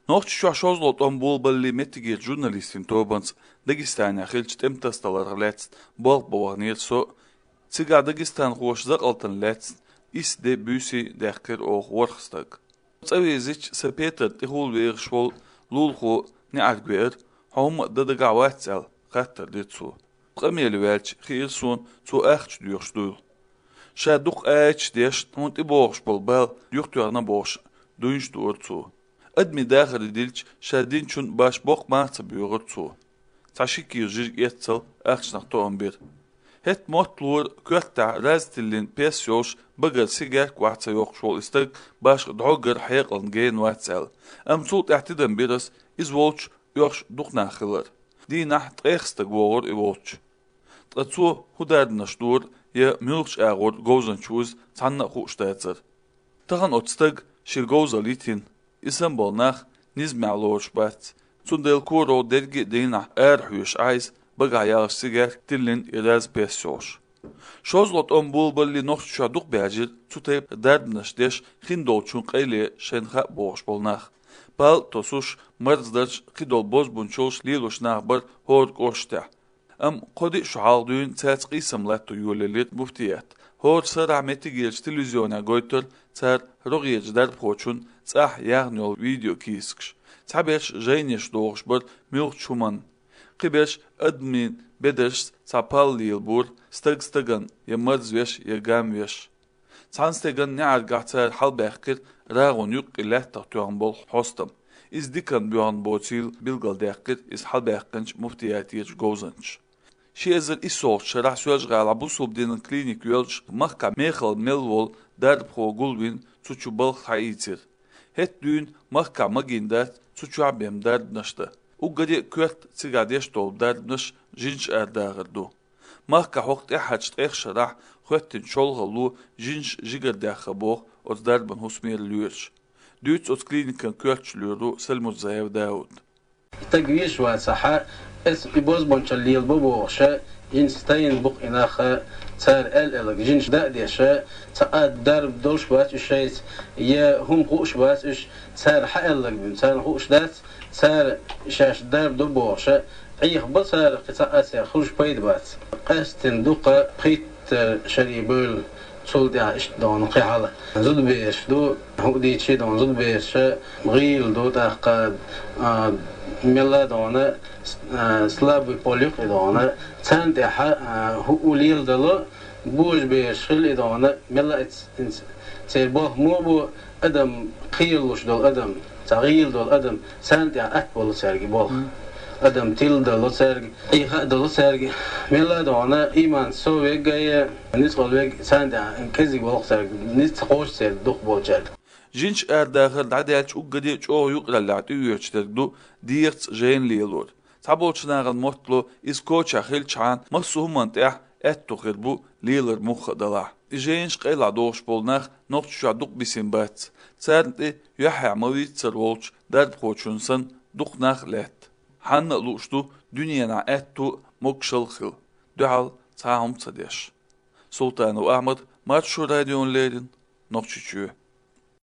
Noqç şaşozlot on bol balli metigir jurnalistin tobans Dagestanya xilç temtastalar lets bol boğanir so Tsiga Dagestan xoşzaq altın lets is de büsi dehkir oğ warxstag. Tsavizic sepeter tihul veğ şvol lulxu ne argver hom dadaga watsal qatar ditsu. Qameli welch xirsun su axç diyorşdul. Şaduk ağaç deş tonti boğş bol bal yuxtuyarna boğş duyunç duurtsu. Admi daxil dilç şadin çun baş boq maatsa büyürtsu. Taşikir jir yetsal axçnaq toğun bir. Het motlur kötta raztillin pes yoş bagar sigar quatsa yox şol istag baş drogar hayqan gen watsal. Amsult ahtidan biras iz volch yox duqnaxılar. Dinah tqexstag woğur I volch. Tqatsu hudardnashdur ya mülch ağur gozan chuz tanna xushtatsar. Tahan otstag shirgoza litin İstanbul nach nizma'loş bat. Sundel kuro dergi dinah erhüş ayz bagayaq sigar tillin iraz pesyoş. Şozlot on bulballi noxça duq bajir tutayb dardnash desh khindolchun qayli shenxa boş bolnaq. Bal tosuş marzdach qidol boz bunchosh lilosh naqbar hor qoshta. Am qodi şuhal düğün tsaqi samlat yulelit muftiyat. Hor sarameti gelç televizyona goytur tsar rogiyejdar pochun tsah yagnol video kisksh. Tabesh jeynish doğuşbar milch chuman. Qibesh admin bedesh sapal lilbur stagstagan ya marzvesh ya gamvesh. Tsanstegan ne argatar halbaqir ragun yuq ilah taqtuan bol hostam. İzdikan buyan botil bilgal daqir is halbaqinch muftiyatiyaj gozanch. Şezer isol şarah söz gala bu subdinin klinik yolç mahka mexal melvol dar pro gulvin suçu bal hayitir. Het düğün mahka magindat suçu abem dardnaştı. Uggadi köt sigadeş dol dardnaş jinç erdağırdu. Mahka hoqt ehaç ex şarah xöttin şolgalu jinç jigardaxa boq oz darban husmer lüyerç. Düğüt oz klinikan kötçlüyerdu Selmut Zayev Daud. تجويش وسحاء اس يبوز بونشلي البوبو شا ينستين بق إناخا تار ال جنش دا ديشا تقاد درب دولش بات الشيء يا هم قوش بات إيش تار حقلك بين تار قوش دات تار شاش درب دبو شا عيخ بصار قطعات يا خرج بيد بات قاستن دوقة قيت شريبول صول دي عشت دون قيعلة زود بيش دو هو دي تشي دون زود بيش غيل دو تاقاد ملا دونه سلاب بوليق دونه سنت هو ليل دلو بوج بيشخل دونه ملا تيربوه مو بو ادم قيلوش دول ادم تغيل دول ادم سنت اكبر سرقي بول ادم تيل دلو سرقي اي دلو سرقي ملا دونه ايمان سو ويغاي نسقل ويغ سنت كزي بول سرقي نسقوش سر دوق بولجال Jinç erdağır dadalç uggadi çoğu yuqlallatı üyeçlerdu diyert jenliyelur. Tabolçunağın motlu iskoça xilçan masuhumant et tuqir bu liler muxadala. Jinç qayla doğuş bolnaq noqçuşa duq bisin bat. Sərdi yahya mavit sərvolç dərd qoçunsan duqnaq let. Hanna luçdu dünyana ettu mokşal xil. Dual sahum tsadeş. Sultanu Ahmed Marşu radyonlerin noqçuçu.